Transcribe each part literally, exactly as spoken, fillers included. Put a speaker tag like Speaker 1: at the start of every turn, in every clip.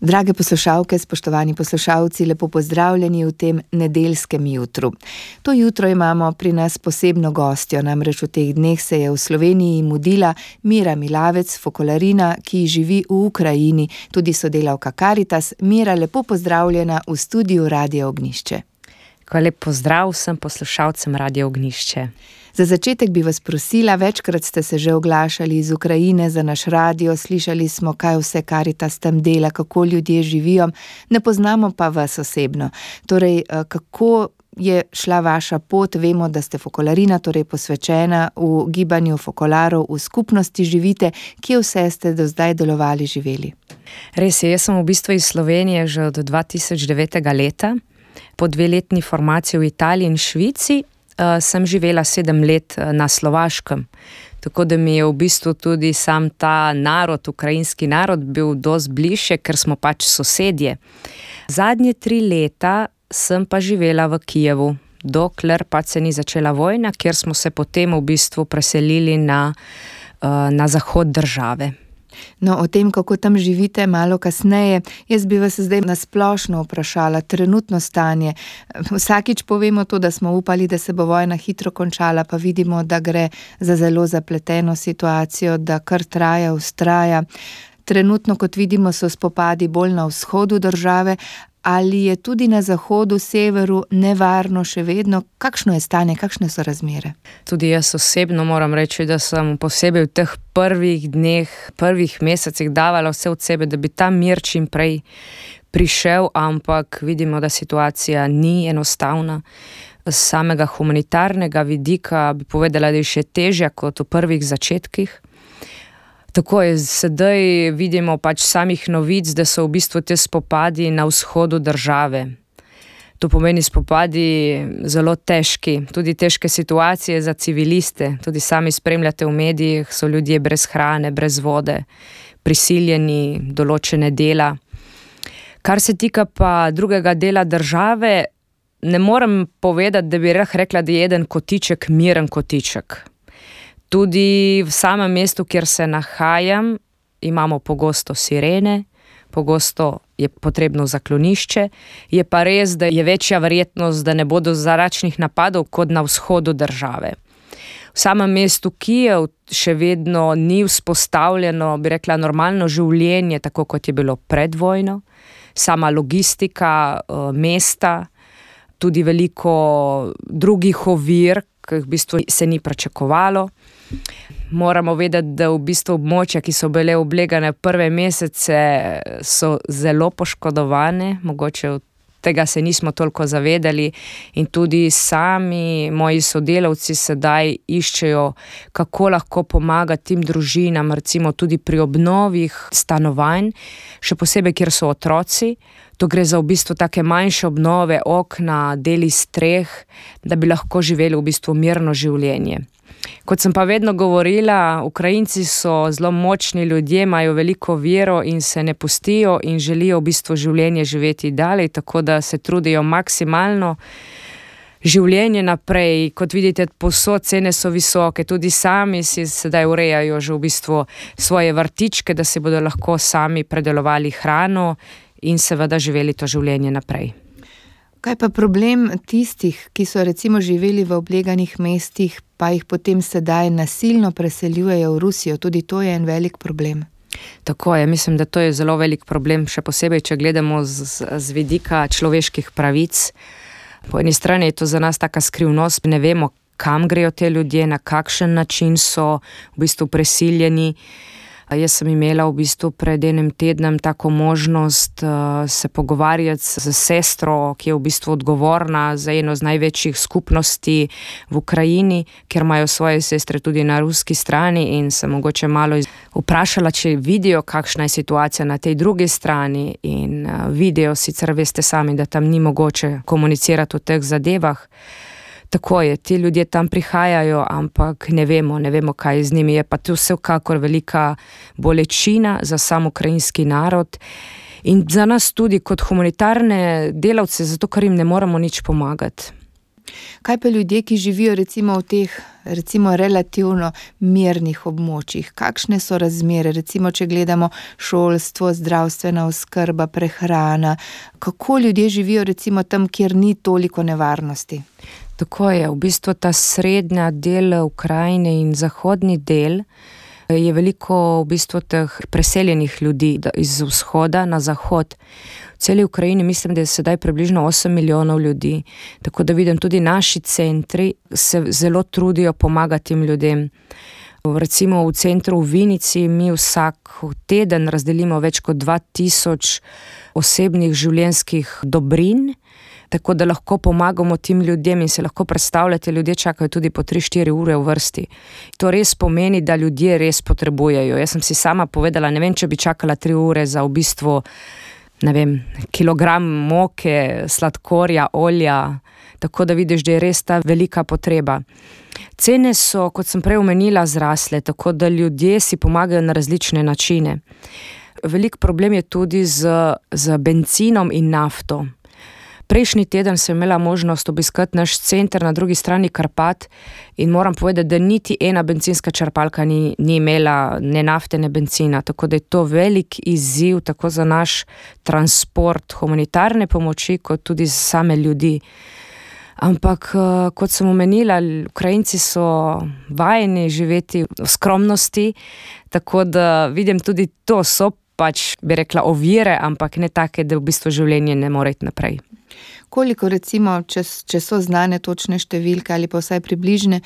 Speaker 1: Drage poslušalke, spoštovani poslušalci, lepo pozdravljeni v tem nedeljskem jutru. To jutro imamo pri nas posebno gostjo, namreč v teh dneh se je v Sloveniji mudila Mira Milavec, fokolarina, ki živi v Ukrajini, tudi sodelavka Karitas. Mira, lepo pozdravljena v studiu Radia Ognjišče.
Speaker 2: Lep pozdrav vsem poslušalcem Radia Ognjišče.
Speaker 1: Za začetek bi vas prosila, večkrat ste se že oglašali iz Ukrajine za naš radio, slišali smo, kaj vse Karitas tam dela, kako ljudje živijo, ne poznamo pa vas osebno. Torej, kako je šla vaša pot? Vemo, da ste fokolarina, torej posvečena v gibanju fokolarov, v skupnosti živite. Kje vse ste do zdaj delovali, živeli?
Speaker 2: Res je, jaz sem v bistvu iz Slovenije že od dva tisoč devetega leta. Po dveletni formaciji v Italiji in Švici uh, sem živela sedem let na Slovaškem. Tako da mi je v bistvu tudi sam ta narod, ukrajinski narod, bil dosti bližje, ker smo pač sosedje. Zadnje tri leta sem pa živela v Kijevu, dokler pač se ni začela vojna, kjer smo se potem v bistvu preselili na, uh, na zahod države.
Speaker 1: No, o tem, kako tam živite, malo kasneje. Jaz bi vas zdaj nasplošno vprašala, trenutno stanje. Vsakič povemo to, da smo upali, da se bo vojna hitro končala, pa vidimo, da gre za zelo zapleteno situacijo, da kar traja, vztraja. Trenutno, kot vidimo, so spopadi bolj na vzhodu države. Ali je tudi na zahodu, severu nevarno še vedno? Kakšno je stanje, kakšne so razmere?
Speaker 2: Tudi jaz osebno moram reči, da sem posebej v teh prvih dneh, prvih mesecih davala vse od sebe, da bi ta mir čim prej prišel, ampak vidimo, da situacija ni enostavna. Z samega humanitarnega vidika bi povedala, da je še težja kot v prvih začetkih. Tako je, sedaj vidimo pač samih novic, da so v bistvu te spopadi na vzhodu države. To pomeni spopadi zelo težki, tudi težke situacije za civiliste. Tudi sami spremljate v medijih, so ljudje brez hrane, brez vode, prisiljeni določene dela. Kar se tika pa drugega dela države, ne morem povedati, da bi rekla, da je eden kotiček miren kotiček. Tudi v samem mestu, kjer se nahajam, imamo pogosto sirene, pogosto je potrebno zaklonišče. Je pa res, da je večja verjetnost, da ne bodo zračnih napadov kot na vzhodu države. V samem mestu Kijev še vedno ni vzpostavljeno, bi rekla, normalno življenje, tako kot je bilo pred vojno. Sama logistika mesta, tudi veliko drugih ovir, ki v bistvu se ni pričakovalo. Moramo vedeti, da v bistvu območja, ki so bile oblegane prve mesece, so zelo poškodovane, mogoče tega se nismo toliko zavedali in tudi sami moji sodelavci sedaj iščejo, kako lahko pomagati tim družinam, recimo tudi pri obnovih stanovanj, še posebej, kjer so otroci. To gre za v bistvu take manjše obnove, okna, deli streh, da bi lahko živeli v bistvu mirno življenje. Kot sem pa vedno govorila, Ukrajinci so zelo močni ljudje, imajo veliko vero in se ne pustijo in želijo v bistvu življenje živeti dalje, tako da se trudijo maksimalno življenje naprej. Kot vidite, povsod cene so visoke, tudi sami si sedaj urejajo že v bistvu svoje vrtičke, da si bodo lahko sami predelovali hrano in seveda živeli to življenje naprej.
Speaker 1: Kaj pa problem tistih, ki so recimo živeli v obleganih mestih, pa jih potem sedaj nasilno preseljujejo v Rusijo? Tudi to je en velik problem.
Speaker 2: Tako je, mislim, da to je zelo velik problem, še posebej, če gledamo z, z vidika človeških pravic. Po eni strani je to za nas taka skrivnost, ne vemo, kam grejo te ljudje, na kakšen način so v bistvu presiljeni. Jaz sem imela v bistvu pred enim tednom tako možnost uh, se pogovarjati z sestro, ki je v bistvu odgovorna za eno z največjih skupnosti v Ukrajini, ker imajo svoje sestre tudi na ruski strani in sem mogoče malo vprašala, če vidijo, kakšna je situacija na tej drugi strani in uh, vidijo, sicer veste sami, da tam ni mogoče komunicirati o teh zadevah. Tako je, ti ljudje tam prihajajo, ampak ne vemo, ne vemo, kaj z njimi. Je pa to vsekakor velika bolečina za sam ukrajinski narod in za nas tudi kot humanitarne delavce, zato ker jim ne moremo nič pomagati.
Speaker 1: Kaj pa ljudje, ki živijo recimo v teh recimo relativno mirnih območjih? Kakšne so razmere, recimo če gledamo šolstvo, zdravstvena oskrba, prehrana? Kako ljudje živijo recimo tam, kjer ni toliko nevarnosti?
Speaker 2: Tako je, v bistvu ta srednja del Ukrajine in zahodni del je veliko v bistvu teh preseljenih ljudi iz vzhoda na zahod. V celi Ukrajini mislim, da je sedaj približno osem milijonov ljudi, tako da vidim, tudi naši centri se zelo trudijo pomagati tem ljudem. Recimo v centru v Vinici mi vsak teden razdelimo več kot dva tisoč osebnih življenjskih dobrin, tako da lahko pomagamo tem ljudem in se lahko predstavljate, ljudje čakajo tudi po tri štiri ure v vrsti. To res pomeni, da ljudje res potrebujejo. Jaz sem si sama povedala, ne vem, če bi čakala tri ure za v bistvu, ne vem, kilogram moke, sladkorja, olja, tako da vidiš, da je res ta velika potreba. Cene so, kot sem prej omenila, zrasle, tako da ljudje si pomagajo na različne načine. Velik problem je tudi z, z benzinom in nafto. Prejšnji teden sem imela možnost obiskati naš center na drugi strani Karpat in moram povedati, da niti ena bencinska črpalka ni, ni imela ne nafte, ne benzina, tako da je to velik izziv tako za naš transport humanitarne pomoči, kot tudi za same ljudi. Ampak, kot sem omenila, Ukrajinci so vajeni živeti v skromnosti, tako da vidim tudi to so pač, bi rekla, ovire, ampak ne take, da v bistvu življenje ne more iti naprej.
Speaker 1: Koliko recimo, če, če so znane točne številke ali pa vsaj približne,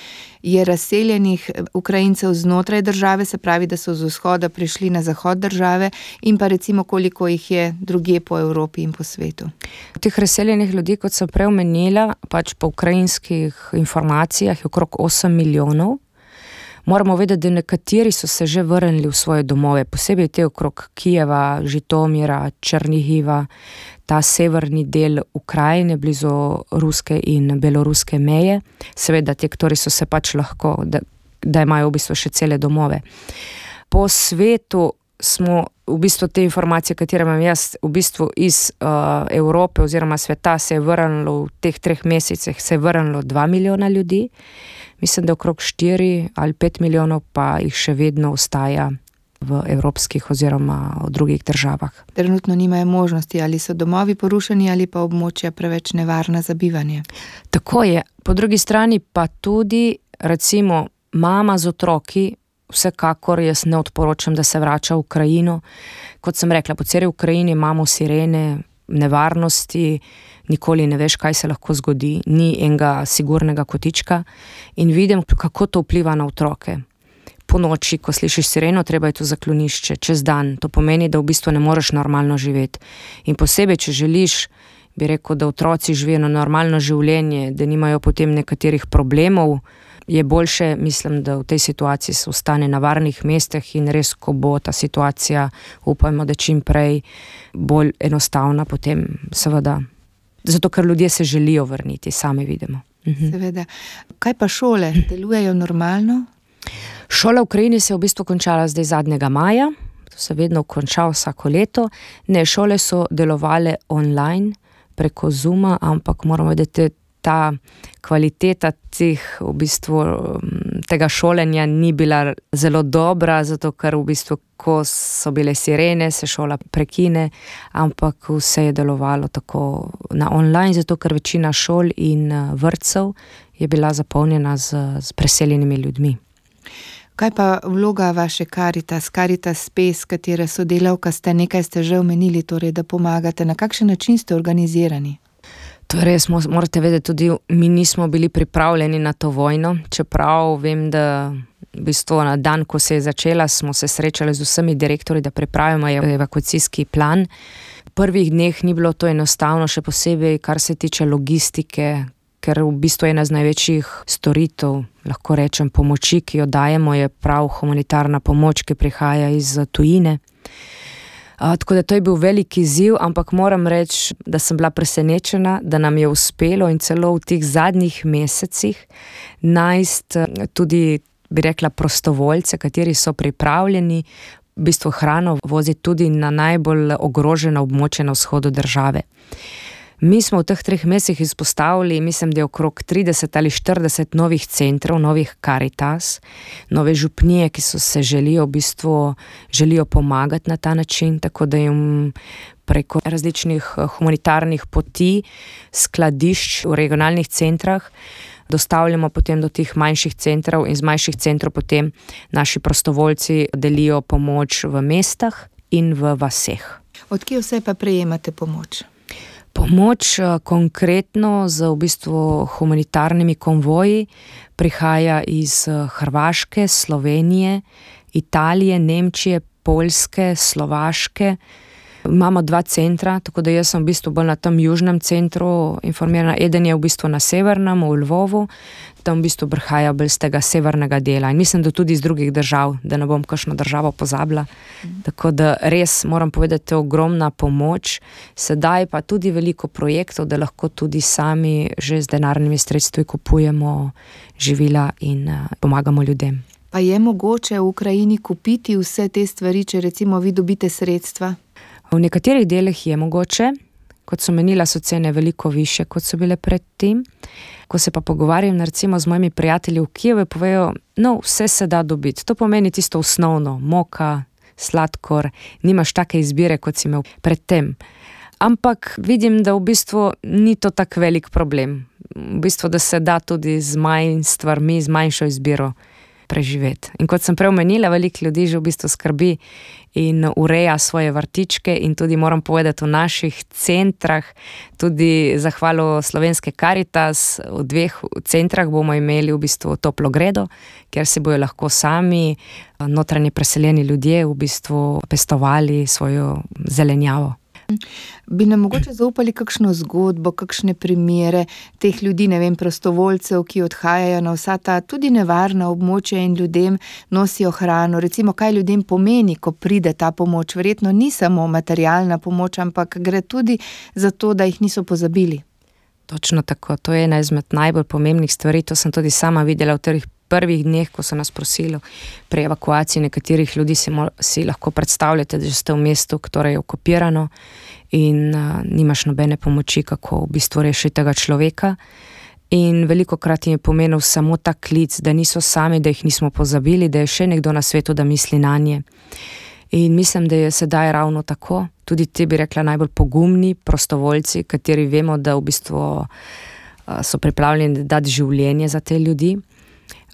Speaker 1: je razseljenih Ukrajincev znotraj države, se pravi, da so z vzhoda prišli na zahod države, in pa recimo koliko jih je drugje po Evropi in po svetu?
Speaker 2: Teh razseljenih ljudi, kot sem prej omenila, pač po ukrajinskih informacijah je okrog osem milijonov. Moramo vedeti, da nekateri so se že vrnili v svoje domove, posebej te okrog Kijeva, Žitomira, Černihiva, ta severni del Ukrajine, blizu ruske in beloruske meje. Seveda, te, ktorí so se pač lahko, da, da imajo v bistvu še cele domove. Po svetu smo v bistvu te informacije, katere imam jaz, v bistvu iz uh, Evrope oziroma sveta se je vrnilo v teh treh mesecih, se je vrnilo dva milijona ljudi. Mislim, da okrog štiri ali pet milijonov pa jih še vedno ostaja v evropskih oziroma v drugih državah.
Speaker 1: Trenutno nimajo možnosti, ali so domovi porušeni ali pa območja preveč nevarna za bivanje.
Speaker 2: Tako je. Po drugi strani pa tudi, recimo, mama z otroki, vsekakor jaz ne odporočam, da se vrača v Ukrajino. Kot sem rekla, po celi Ukrajini imamo sirene, nevarnosti, nikoli ne veš, kaj se lahko zgodi, ni enega sigurnega kotička in vidim, kako to vpliva na otroke. Po noči, ko slišiš sireno, treba je to zaklonišče, čez dan. To pomeni, da v bistvu ne moreš normalno živeti. In posebej, če želiš, bi rekel, da otroci živijo normalno življenje, da nimajo potem nekaterih problemov, je boljše, mislim, da v tej situaciji se ostane na varnih mestih in res, ko bo ta situacija, upajmo, da čim prej bolj enostavna, potem seveda, zato ker ljudje se želijo vrniti, sami vidimo. Mhm.
Speaker 1: Seveda. Kaj pa šole? Delujejo normalno?
Speaker 2: Šola v Ukrajini se je v bistvu končala zdaj zadnjega maja, to se vedno konča vsako leto. Ne, šole so delovale online preko Zooma, ampak moramo vedeti, ta kvaliteta teh, v bistvu, tega šolenja ni bila zelo dobra, zato ker v bistvu, ko so bile sirene, se šola prekine, ampak vse je delovalo tako na online, zato ker večina šol in vrtcev je bila zapolnjena z, z preseljenimi ljudmi.
Speaker 1: Kaj pa vloga vaše Caritas, Caritas Spes, katere sodelavka ste, nekaj ste že omenili, torej, da pomagate, na kakšen način ste organizirani?
Speaker 2: To je res, morate vedeti, tudi mi nismo bili pripravljeni na to vojno, čeprav vem, da v bistvu na dan, ko se je začela, smo se srečali z vsemi direktorji, da pripravimo evakuacijski plan. V prvih dneh ni bilo to enostavno, še posebej, kar se tiče logistike, ker v bistvu ena z največjih storitev, lahko rečem, pomoči, ki jo dajemo, je prav humanitarna pomoč, ki prihaja iz tujine. Uh, tako da to je bil velik izziv, ampak moram reči, da sem bila presenečena, da nam je uspelo in celo v teh zadnjih mesecih najti tudi, bi rekla, prostovoljce, kateri so pripravljeni v bistvu hrano voziti tudi na najbolj ogrožena območja na vzhodu države. Mi smo v teh treh mesecih izpostavili, mislim, da je okrog trideset ali štirideset novih centrov, novih Karitas, nove župnije, ki so se želijo v bistvu, želijo pomagati na ta način, tako da jim preko različnih humanitarnih poti, skladišč v regionalnih centrah, dostavljamo potem do teh manjših centrov in z manjših centrov potem naši prostovoljci delijo pomoč v mestah in v vaseh.
Speaker 1: Od kje vse pa prejemate pomoč?
Speaker 2: Pomoč konkretno z v bistvu humanitarnimi konvoji prihaja iz Hrvaške, Slovenije, Italije, Nemčije, Poljske, Slovaške. Imamo dva centra, tako da jaz sem v bistvu bolj na tem južnem centru informirana. Eden je v bistvu na severnem, v Lvovu, tam v bistvu prihaja bolj z tega severnega dela. In mislim, da tudi iz drugih držav, da ne bom kakšno državo pozabila. Mm. Tako da res moram povedati, je ogromna pomoč. Sedaj pa tudi veliko projektov, da lahko tudi sami že z denarnimi sredstvi kupujemo živila in uh, pomagamo ljudem.
Speaker 1: Pa je mogoče v Ukrajini kupiti vse te stvari, če recimo vi dobite sredstva?
Speaker 2: V nekaterih delih je mogoče, kot so menila, so cene veliko više, kot so bile pred tem. Ko se pa pogovarjam recimo z mojimi prijatelji v Kijevu, povejo, no, vse se da dobiti. To pomeni tisto osnovno, moka, sladkor, nimaš take izbire, kot si imel pred tem. Ampak vidim, da v bistvu ni to tak velik problem. V bistvu, da se da tudi z manj stvarmi, z manjšo izbiro preživeti. In kot sem prej omenila, veliko ljudi že v bistvu skrbi in ureja svoje vrtičke in tudi moram povedati v naših centrah, tudi zahvalo Slovenske Karitas, v dveh centrah bomo imeli v bistvu toplo gredo, kjer se bojo lahko sami notranje preseljeni ljudje v bistvu pestovali svojo zelenjavo.
Speaker 1: Bi nam mogoče zaupali kakšno zgodbo, kakšne primere teh ljudi, ne vem, prostovoljcev, ki odhajajo na vsa ta tudi nevarna območja in ljudem nosijo hrano. Recimo, kaj ljudem pomeni, ko pride ta pomoč? Verjetno ni samo materialna pomoč, ampak gre tudi za to, da jih niso pozabili.
Speaker 2: Točno tako, to je ena izmed najbolj pomembnih stvari, to sem tudi sama videla v teh prvih dneh, ko so nas prosili pri evakuaciji nekaterih ljudi, si, mo- si lahko predstavljate, da ste v mestu, ktoré je okupirano in uh, nimaš nobene pomoči, kako v bistvu rešiti tega človeka. In velikokrat jim je pomenil samo ta klic, da niso sami, da jih nismo pozabili, da je še nekdo na svetu, da misli nanje. In mislim, da je sedaj ravno tako. Tudi ti bi rekla najbolj pogumni prostovoljci, kateri vemo, da v bistvu uh, so pripravljeni dati življenje za te ljudi.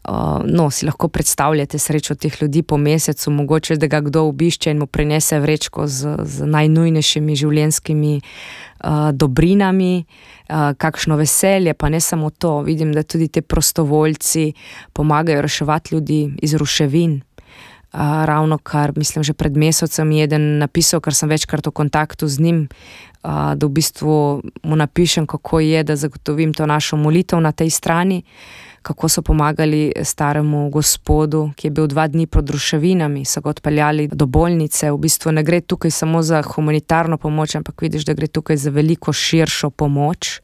Speaker 2: Uh, no, si lahko predstavljate srečo teh ljudi po mesecu, mogoče, da ga kdo obišče in mu prinese vrečko z, z najnujnejšimi življenjskimi uh, dobrinami, uh, kakšno veselje, pa ne samo to. Vidim, da tudi te prostovoljci pomagajo reševati ljudi iz ruševin. Uh, ravno kar, mislim, že pred mesecem je eden napisal, ker sem večkrat v kontaktu z njim, uh, da v bistvu mu napišem, kako je, da zagotovim to našo molitev na tej strani, kako so pomagali staremu gospodu, ki je bil dva dni pod ruševinami, so ga odpeljali do bolnice. V bistvu ne gre tukaj samo za humanitarno pomoč, ampak vidiš, da gre tukaj za veliko širšo pomoč.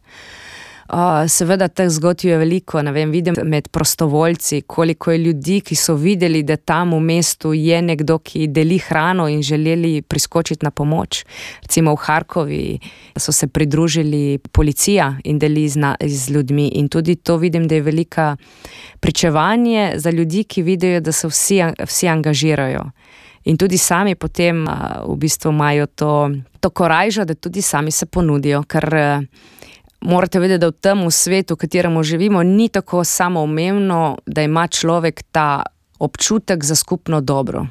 Speaker 2: Uh, seveda teh zgodb je veliko, ne vem, vidim med prostovoljci, koliko je ljudi, ki so videli, da tam v mestu je nekdo, ki deli hrano in želeli priskočiti na pomoč. Recimo v Harkovi so se pridružili policija in deli z, z ljudmi in tudi to vidim, da je velika pričevanje za ljudi, ki vidijo, da se vsi, vsi angažirajo. In tudi sami potem uh, v bistvu imajo to, to korajžo, da tudi sami se ponudijo, ker uh, morate vedeti, da v tem svetu, v katerem živimo, ni tako samoumevno, da ima človek ta občutek za skupno dobro.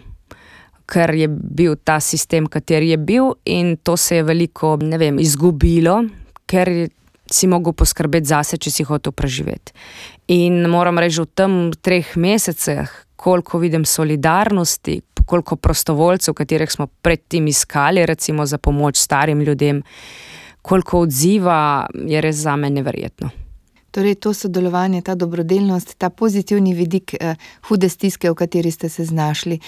Speaker 2: Ker je bil ta sistem, kateri je bil in to se je veliko, ne vem, izgubilo, ker si mogel poskrbeti zase, če si hotel preživeti. In moram reči, v tem treh mesecih, koliko vidim solidarnosti, koliko prostovoljcev, katerih smo predtem iskali, recimo za pomoč starim ljudem, koliko odziva, je res zame neverjetno.
Speaker 1: Torej, to sodelovanje, ta dobrodelnost, ta pozitivni vidik eh, hude stiske, v kateri ste se znašli.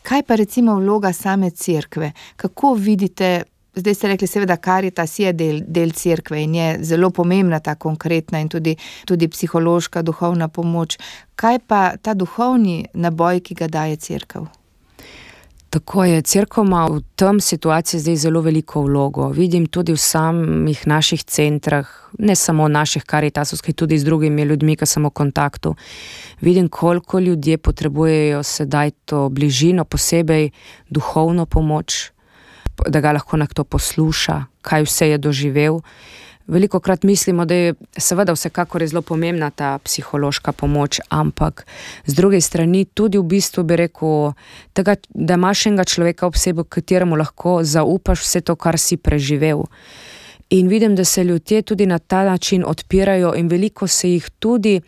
Speaker 1: Kaj pa recimo vloga same cerkve? Kako vidite, zdaj ste rekli, seveda Karitas je del, del cerkve in je zelo pomembna ta konkretna in tudi, tudi psihološka, duhovna pomoč. Kaj pa ta duhovni naboj, ki ga daje cerkev?
Speaker 2: Tako je, cerkev ima v tem situaciji zdaj zelo veliko vlogo. Vidim tudi v samih naših centrah, ne samo naših karitasovskih, tudi z drugimi ljudmi, ki sem v kontaktu. Vidim, koliko ljudje potrebujejo sedaj to bližino, posebej duhovno pomoč, da ga lahko nekdo posluša, kaj vse je doživel. Velikokrat mislimo, da je seveda vsekakor je zelo pomembna ta psihološka pomoč, ampak z druge strani tudi v bistvu bi rekel, tega, da imaš enega človeka ob sebi, kateremu lahko zaupaš vse to, kar si preživel. In vidim, da se ljudje tudi na ta način odpirajo in veliko se jih tudi,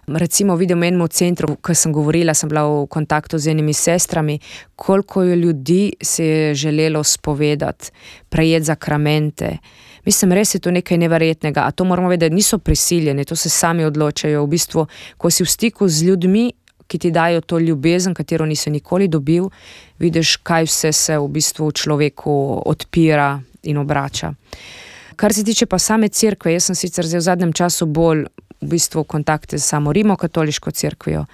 Speaker 2: recimo vidim v enem centru, ko sem govorila, sem bila v kontaktu z enimi sestrami, koliko je ljudi se je želelo spovedati, prejeti zakramente. Mislim, res je to nekaj neverjetnega, a to moramo vedeti, niso prisiljeni, to se sami odločajo. V bistvu, ko si v stiku z ljudmi, ki ti dajo to ljubezen, katero nisi nikoli dobil, vidiš, kaj vse se v bistvu v človeku odpira in obrača. Kar se tiče pa same cerkve, jaz sem sicer zdaj v zadnjem času bolj v bistvu v kontakte z samo rimokatoliško cerkvijo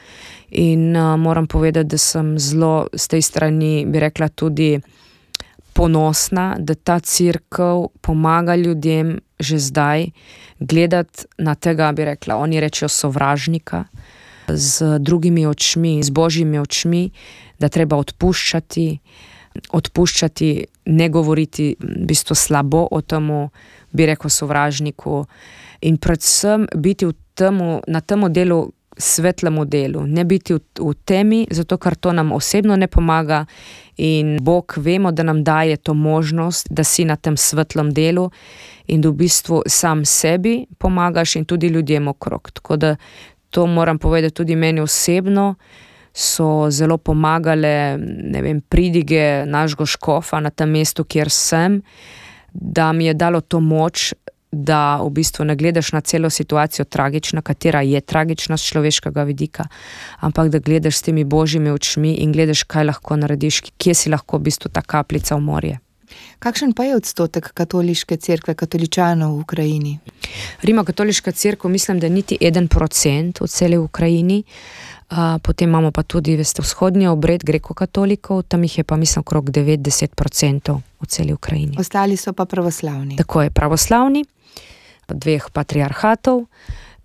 Speaker 2: in uh, moram povedati, da sem zelo z tej strani, bi rekla, tudi ponosna, da ta cerkev pomaga ljudem že zdaj gledati na tega, bi rekla, oni rečejo sovražnika, z drugimi očmi, z božjimi očmi, da treba odpuščati, odpuščati, ne govoriti v bistvu slabo o temu, bi rekel, sovražniku in predvsem biti v temu, na temu delu, svetlemu delu, ne biti v, v temi, zato ker to nam osebno ne pomaga in Bog vemo, da nam daje to možnost, da si na tem svetlem delu in da v bistvu sam sebi pomagaš in tudi ljudem okrog. Tako da to moram povedati tudi meni osebno, so zelo pomagale, ne vem, pridige našega škofa na tem mestu, kjer sem, da mi je dalo to moč, da v bistvu ne gledaš na celo situacijo tragična, katera je tragična z človeškega vidika, ampak da gledaš s temi božjimi očmi in gledaš, kaj lahko narediš, kje si lahko v bistvu ta kapljica v morje.
Speaker 1: Kakšen pa je odstotek katoliške cerkve, katoličanov v Ukrajini?
Speaker 2: Rimokatoliška cerkev, mislim, da niti en procent v celi Ukrajini. Uh, potem imamo pa tudi, veste, vzhodni obred grekokatolikov, tam jih je pa, mislim, okrog devet do deset procentov v celi Ukrajini.
Speaker 1: Ostali so pa pravoslavni.
Speaker 2: Tako je, pravoslavni, dveh patriarhatov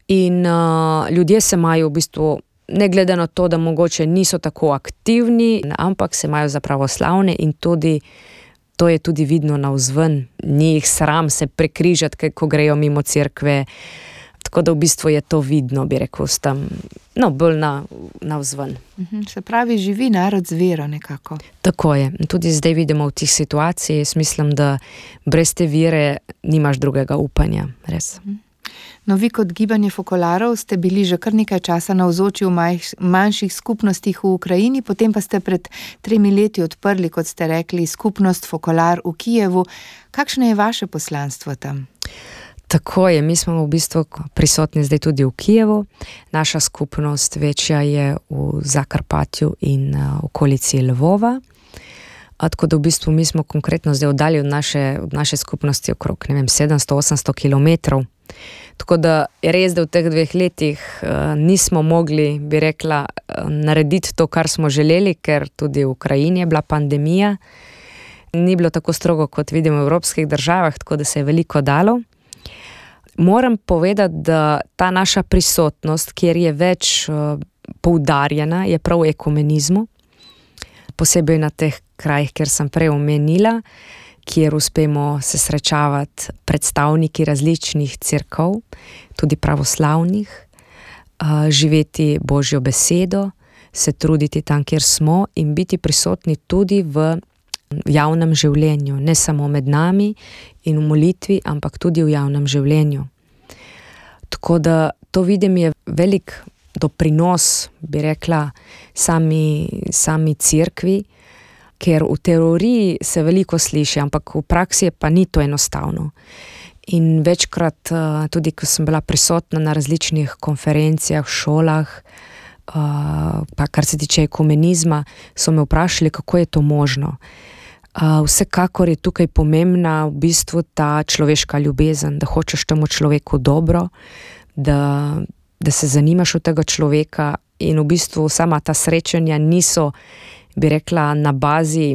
Speaker 2: in uh, ljudje se imajo v bistvu, ne glede na to, da mogoče niso tako aktivni, ampak se imajo za pravoslavne in tudi to je tudi vidno navzven. Ni jih sram se prekrižati, ko grejo mimo cerkve. Tako da v bistvu je to vidno, bi rekel, s tem, no, bolj na, navzven.
Speaker 1: Se pravi, živi narod z vero nekako.
Speaker 2: Tako je. Tudi zdaj vidimo v tih situacijah, jaz mislim, da brez te vere nimaš drugega upanja, res.
Speaker 1: No, vi kot gibanje fokolarov ste bili že kar nekaj časa navzoči v manjših skupnostih v Ukrajini, potem pa ste pred tremi leti odprli, kot ste rekli, skupnost Fokolar v Kijevu. Kakšno je vaše poslanstvo tam?
Speaker 2: Tako je, mi smo v bistvu prisotni zdaj tudi v Kijevu. Naša skupnost večja je v Zakarpatju in uh, okolici Lvova. A, tako da v bistvu mi smo konkretno zdaj oddalji od naše, od naše skupnosti okrog, ne vem, sedemsto do osemsto kilometrov. Tako da je res, da v teh dveh letih uh, nismo mogli, bi rekla, uh, narediti to, kar smo želeli, ker tudi v Ukrajini je bila pandemija. Ni bilo tako strogo, kot vidimo v evropskih državah, tako da se je veliko dalo. Moram povedati, da ta naša prisotnost, kjer je več uh, poudarjena, je prav v ekumenizmu, posebej na teh krajih, kjer sem prej omenila, kjer uspemo se srečavati predstavniki različnih cerkev, tudi pravoslavnih, uh, živeti Božjo besedo, se truditi tam, kjer smo in biti prisotni tudi v javnem življenju, ne samo med nami in v molitvi, ampak tudi v javnem življenju. Tako da to vidim je velik doprinos, bi rekla, sami, sami cerkvi, ker v teoriji se veliko sliši, ampak v praksi pa ni to enostavno. In večkrat, tudi ko sem bila prisotna na različnih konferencijah, šolah, pa kar se tiče ekumenizma, so me vprašali, kako je to možno. Vsekakor je tukaj pomembna v bistvu ta človeška ljubezen, da hočeš temu človeku dobro, da, da se zanimaš v tega človeka in v bistvu sama ta srečanja niso, bi rekla, na bazi,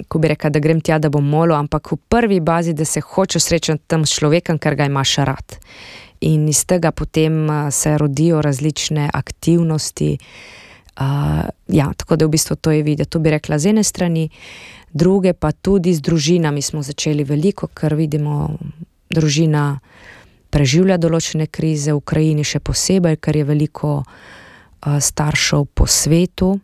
Speaker 2: ko bi rekla, da grem tja, da bom molil, ampak v prvi bazi, da se hočeš srečati tam s človekom, ker ga imaš rad. In iz tega potem se rodijo različne aktivnosti. Uh, ja, tako da v bistvu to je videti. To bi rekla z ene strani, druge pa tudi z družinami smo začeli veliko, ker vidimo, družina preživlja določene krize, v Ukrajini še posebej, ker je veliko uh, staršev po svetu.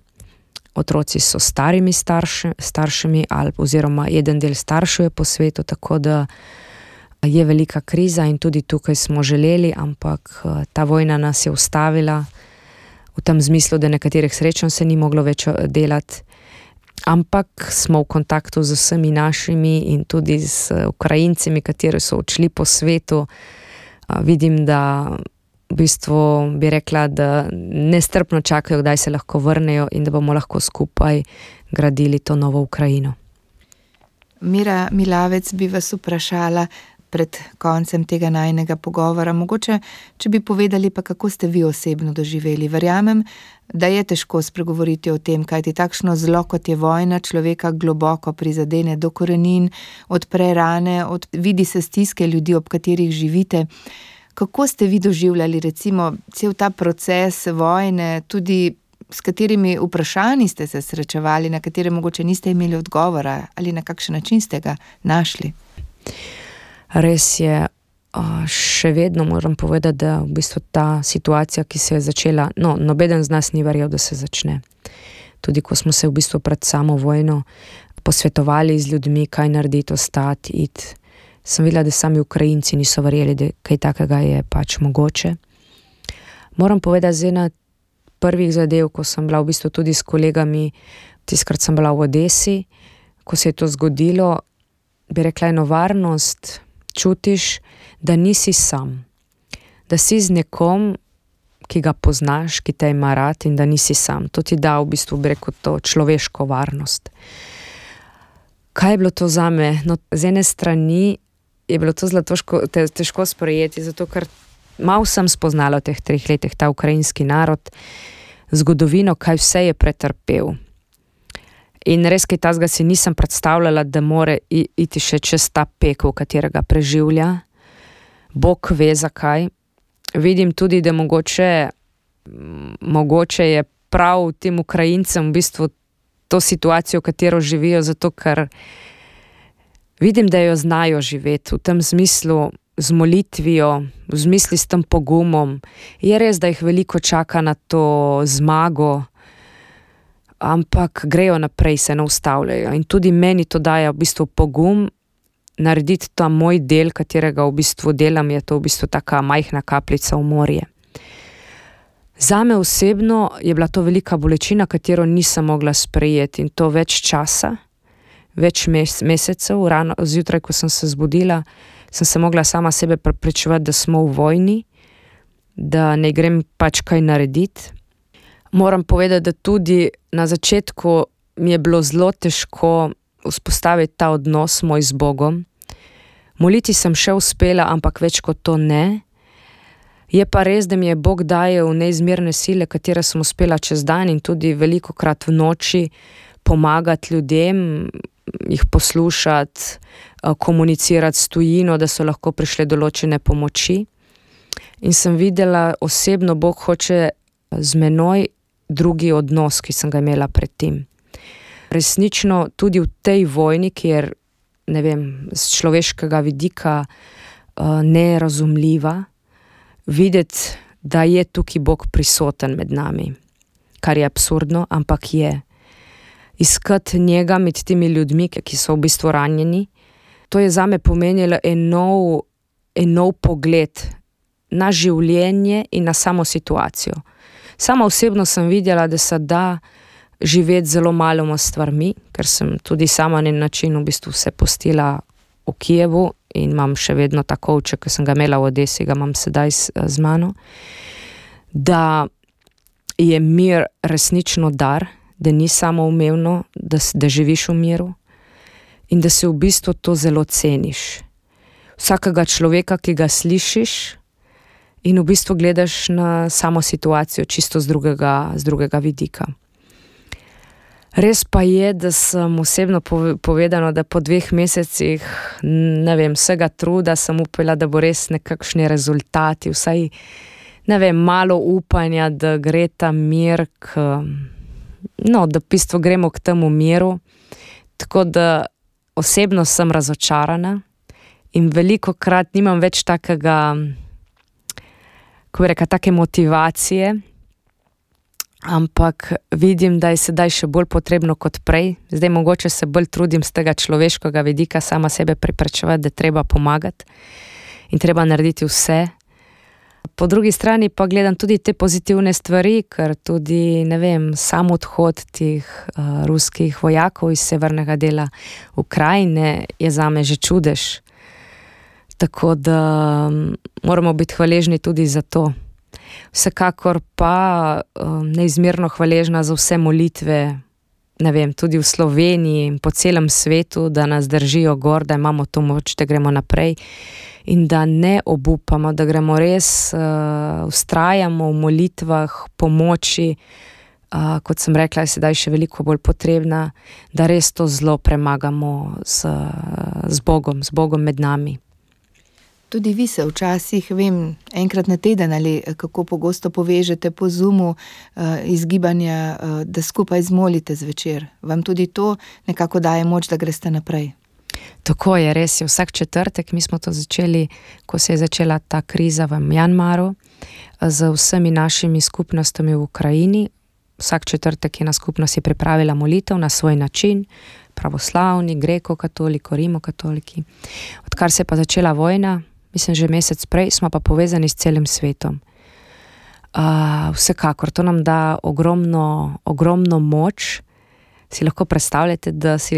Speaker 2: Otroci so starimi starši, staršami ali oziroma eden del staršev je po svetu, tako da je velika kriza in tudi tukaj smo želeli, ampak uh, ta vojna nas je ustavila v tem zmislu, da nekaterih srečanj se ni moglo več delati. Ampak smo v kontaktu z vsemi našimi in tudi z Ukrajincami, kateri so odšli po svetu. Vidim, da v bistvu bi rekla, da nestrpno čakajo, kdaj se lahko vrnejo in da bomo lahko skupaj gradili to novo Ukrajino.
Speaker 1: Mira Milavec bi vas vprašala pred koncem tega najinega pogovora. Mogoče, če bi povedali pa, kako ste vi osebno doživeli. Verjamem, da je težko spregovoriti o tem, kajti takšno zlo, kot je vojna, človeka globoko prizadene do korenin, odpre rane, od, vidi se stiske ljudi, ob katerih živite. Kako ste vi doživljali recimo cel ta proces vojne, tudi s katerimi vprašanji ste se srečevali, na katere mogoče niste imeli odgovora ali na kakšen način ste ga našli?
Speaker 2: Res je, še vedno moram povedati, da v bistvu ta situacija, ki se je začela, no, nobeden z nas ni verjel, da se začne. Tudi ko smo se v bistvu pred samo vojno posvetovali z ljudmi, kaj narediti, ostati, iti, sem videla, da sami Ukrajinci niso verjeli, da kaj takega je pač mogoče. Moram povedati, z ena prvih zadev, ko sem bila v bistvu tudi s kolegami, tiskrat sem bila v Odesi, ko se je to zgodilo, bi rekla, eno varnost, čutiš, da nisi sam, da si z nekom, ki ga poznaš, ki te ima rad in da nisi sam. To ti da v bistvu, bi rekel, to človeško varnost. Kaj je bilo to zame? No, z ene strani je bilo to zelo težko, težko sprejeti, zato ker malo sem spoznala v teh treh letih ta ukrajinski narod, zgodovino, kaj vse je pretrpel. In res, kaj tazga si nisem predstavljala, da more iti še čez ta pekel, katerega preživlja. Bog ve zakaj. Vidim tudi, da mogoče, mogoče je prav tem Ukrajincem v bistvu to situacijo, v katero živijo, zato ker vidim, da jo znajo živeti v tem smislu z molitvijo, v smislu s tem pogumom. Je res, da jih veliko čaka na to zmago, ampak grejo naprej, se ne ustavljajo. In tudi meni to daje v bistvu pogum narediti ta moj del, katerega v bistvu delam, je to v bistvu taka majhna kapljica v morje. Zame osebno je bila to velika bolečina, katero nisem mogla sprejeti in to več časa, več mes- mesecev, rano zjutraj, ko sem se zbudila, sem se mogla sama sebe prepričevati, da smo v vojni, da ne grem pač kaj narediti. Moram povedati, da tudi na začetku mi je bilo zelo težko vzpostaviti ta odnos moj z Bogom. Moliti sem še uspela, ampak več kot to ne. Je pa res, da mi je Bog dajal neizmerne sile, katere sem uspela čez dan in tudi velikokrat v noči pomagati ljudem, jih poslušati, komunicirati s tujino, da so lahko prišle določene pomoči. In sem videla osebno, Bog hoče z menoj drugi odnos, ki sem ga imela pred tem. Resnično tudi v tej vojni, kjer, ne vem, z človeškega vidika uh, nerazumljiva, videti, da je tukaj Bog prisoten med nami, kar je absurdno, ampak je. Iskati njega med temi ljudmi, ki so v bistvu ranjeni, to je zame pomenilo en nov, en nov pogled na življenje in na samo situacijo. Sama osebno sem videla, da se da živeti zelo maloma stvarmi, ker sem tudi sama na način v bistvu se postila v Kijevu in imam še vedno ta kovček, ki sem ga imela v Odesi, ga imam sedaj z, z mano, da je mir resnično dar, da ni samoumevno, da, da živiš v miru in da se v bistvu to zelo ceniš. Vsakega človeka, ki ga slišiš, in v bistvu gledaš na samo situacijo čisto z drugega, z drugega vidika. Res pa je, da sem osebno povedano, da po dveh mesecih, ne vem, vsega truda sem upala, da bo res nekakšni rezultati, vsaj, ne vem, malo upanja, da gre ta mir k, no, da v bistvu gremo k temu miru. Tako da osebno sem razočarana in velikokrat nimam več takega, kako bi rekla, take motivacije, ampak vidim, da je sedaj še bolj potrebno kot prej. Zdaj mogoče se bolj trudim z tega človeškega vidika, sama sebe prepričevati, da treba pomagati in treba narediti vse. Po drugi strani pa gledam tudi te pozitivne stvari, ker tudi, ne vem, sam odhod tih uh, ruskih vojakov iz severnega dela Ukrajine je zame že čudež. Tako da um, moramo biti hvaležni tudi za to. Vsekakor pa um, neizmerno hvaležna za vse molitve, ne vem, tudi v Sloveniji in po celem svetu, da nas držijo gor, da imamo to moč, da gremo naprej in da ne obupamo, da gremo res, uh, vztrajamo v molitvah, pomoči, uh, kot sem rekla, je sedaj še veliko bolj potrebna, da res to zlo premagamo z, z Bogom, z Bogom med nami.
Speaker 1: Tudi vi se včasih, vem, enkrat na teden ali kako pogosto povežete po Zoomu uh, izgibanja, uh, da skupaj zmolite zvečer. Vam tudi to nekako daje moč, da greste naprej?
Speaker 2: Tako je, res je. Vsak četrtek, mi smo to začeli, ko se je začela ta kriza v Mjanmaru, z vsemi našimi skupnostmi v Ukrajini. Vsak četrtek je na skupnosti pripravila molitev na svoj način, pravoslavni, greko-katoliki, rimokatoliki. Odkar se je pa začela vojna, mislim, že mesec prej, smo pa povezani s celim svetom. Uh, vsekakor, to nam da ogromno, ogromno moč. Si lahko predstavljate, da si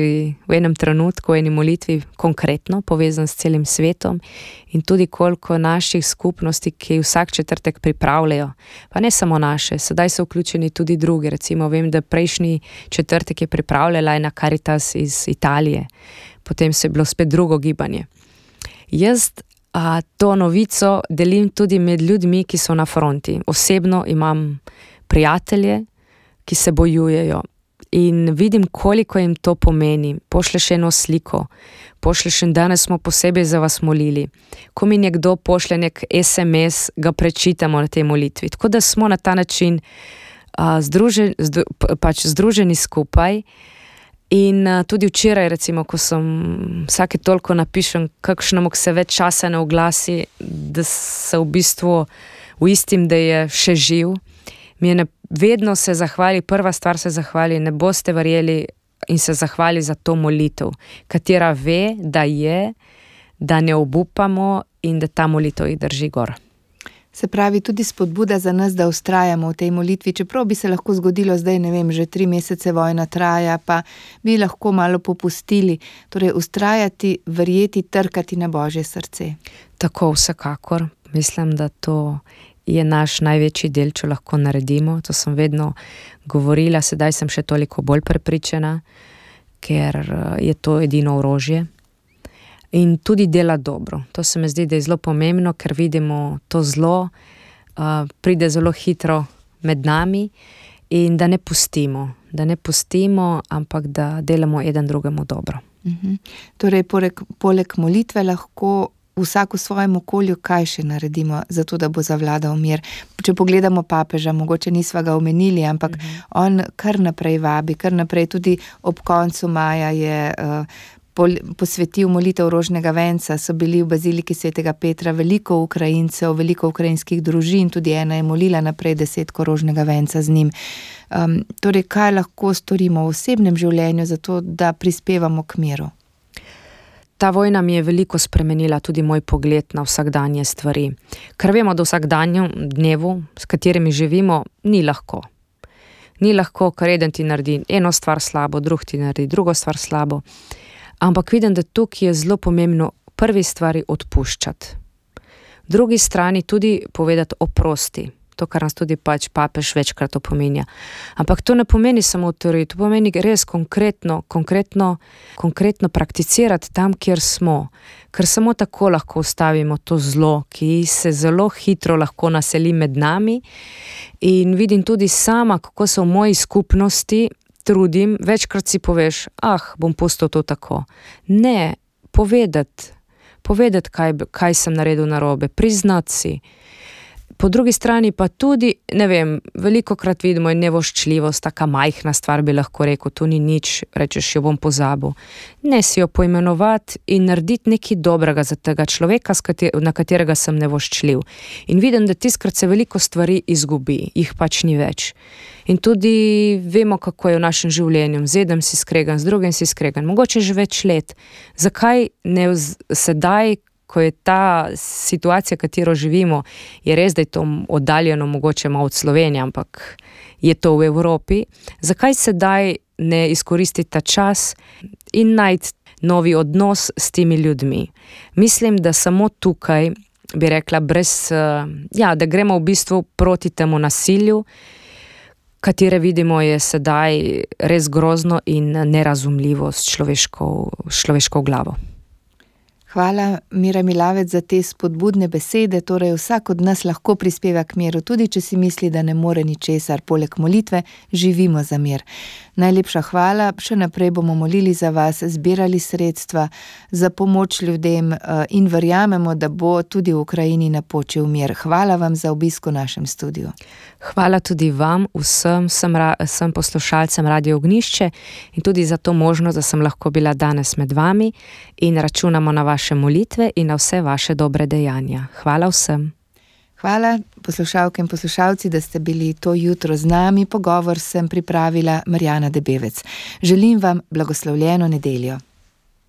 Speaker 2: v enem trenutku, v eni molitvi konkretno povezan s celim svetom in tudi koliko naših skupnosti, ki vsak četrtek pripravljajo. Pa ne samo naše, sedaj so vključeni tudi drugi. Recimo vem, da prejšnji četrtek je pripravljala ena Caritas iz Italije. Potem se je bilo spet drugo gibanje. Jaz a, to novico delim tudi med ljudmi, ki so na fronti. Osebno imam prijatelje, ki se bojujejo. In vidim, koliko jim to pomeni. Pošleš eno sliko, pošleš in danes smo posebej za vas molili. Ko mi nekdo pošlje nek es em es, ga prečitamo na tej molitvi. Tako da smo na ta način uh, združeni, zdru, pač združeni skupaj. In uh, tudi včeraj, recimo, ko sem vsake toliko napišem, kakšnemu se več časa ne oglasi, da se v bistvu uistim, da je še živ, mi je ne, vedno se zahvali, prva stvar se zahvali, ne boste verjeli, in se zahvali za to molitev, katera ve, da je, da ne obupamo in da ta molitev jih drži gor.
Speaker 1: Se pravi, tudi spodbuda za nas, da vztrajamo v tej molitvi, čeprav bi se lahko zgodilo zdaj, ne vem, že tri mesece vojna traja, pa bi lahko malo popustili, torej vztrajati, verjeti, trkati na Božje srce.
Speaker 2: Tako, vsekakor, mislim, da to je naš največji del, če lahko naredimo. To sem vedno govorila, sedaj sem še toliko bolj prepričana, ker je to edino orožje. In tudi dela dobro. To se mi zdi, da je zelo pomembno, ker vidimo to zlo, uh, pride zelo hitro med nami in da ne pustimo. Da ne pustimo, ampak da delamo eden drugemu dobro.
Speaker 1: Uh-huh. Torej, poleg, poleg molitve lahko vsak v svojem okolju, kaj še naredimo, zato da bo zavladal mir. Če pogledamo papeža, mogoče nisva ga omenili, ampak uh-huh. on kar naprej vabi, kar naprej tudi ob koncu maja je uh, pol, posvetil molitev rožnega venca, so bili v baziliki svetega Petra veliko Ukrajincev, veliko ukrajinskih družin, tudi ena je molila naprej desetko rožnega venca z njim. Um, torej, kaj lahko storimo v osebnem življenju, zato da prispevamo k miru?
Speaker 2: Ta vojna mi je veliko spremenila tudi moj pogled na vsakdanje stvari. Ker vemo, da vsakdanjem dnevu, s katerimi živimo, ni lahko. Ni lahko, ker eden ti naredi eno stvar slabo, drug ti naredi drugo stvar slabo. Ampak vidim, da tukaj je zelo pomembno prvi stvari odpuščati. Drugi strani tudi povedati oprosti. To, kar nas tudi pač papež večkrat opominja. Ampak to ne pomeni samo v teoriji, to pomeni res konkretno, konkretno, konkretno prakticirati tam, kjer smo. Ker samo tako lahko ustavimo to zlo, ki se zelo hitro lahko naseli med nami. In vidim tudi sama, kako so v moji skupnosti trudim, večkrat si poveš, ah, bom pustil to tako. Ne, povedati, povedati, kaj, kaj sem naredil narobe, priznati si. Po drugi strani pa tudi, ne vem, velikokrat vidimo in nevoščljivost, taka majhna stvar bi lahko rekel, to ni nič, rečeš, jo bom pozabil. Ne, si jo poimenovati in narediti nekaj dobrega za tega človeka, na katerega sem nevoščljiv. In vidim, da tiskrat se veliko stvari izgubi, jih pač ni več. In tudi vemo, kako je v našem življenju, z enim si skregan, z drugim si skregan, mogoče že več let. Zakaj ne vz, sedaj, ko je ta situacija, katero živimo, je res, da je to oddaljeno mogoče malo od Slovenije, ampak je to v Evropi. Zakaj sedaj ne izkoristiti ta čas in najti novi odnos s temi ljudmi? Mislim, da samo tukaj, bi rekla, brez, ja, da gremo v bistvu proti temu nasilju, katere vidimo je sedaj res grozno in nerazumljivo s človeško, človeško glavo.
Speaker 1: Hvala, Mira Milavec, za te spodbudne besede. Torej, vsak od nas lahko prispeva k miru, tudi če si misli, da ne more ničesar. Poleg molitve živimo za mir. Najlepša hvala, še naprej bomo molili za vas, zbirali sredstva za pomoč ljudem in verjamemo, da bo tudi v Ukrajini napočil mir. Hvala vam za obisk v našem studiu.
Speaker 2: Hvala tudi vam, vsem, sem, sem poslušalcem Radio Ognjišče in tudi za to možnost, da sem lahko bila danes med vami in računamo na vaše molitve in na vse vaše dobre dejanja. Hvala vsem.
Speaker 1: Hvala, poslušalke in poslušalci, da ste bili to jutro z nami. Pogovor sem pripravila Marjana Debevec. Želim vam blagoslovljeno nedeljo.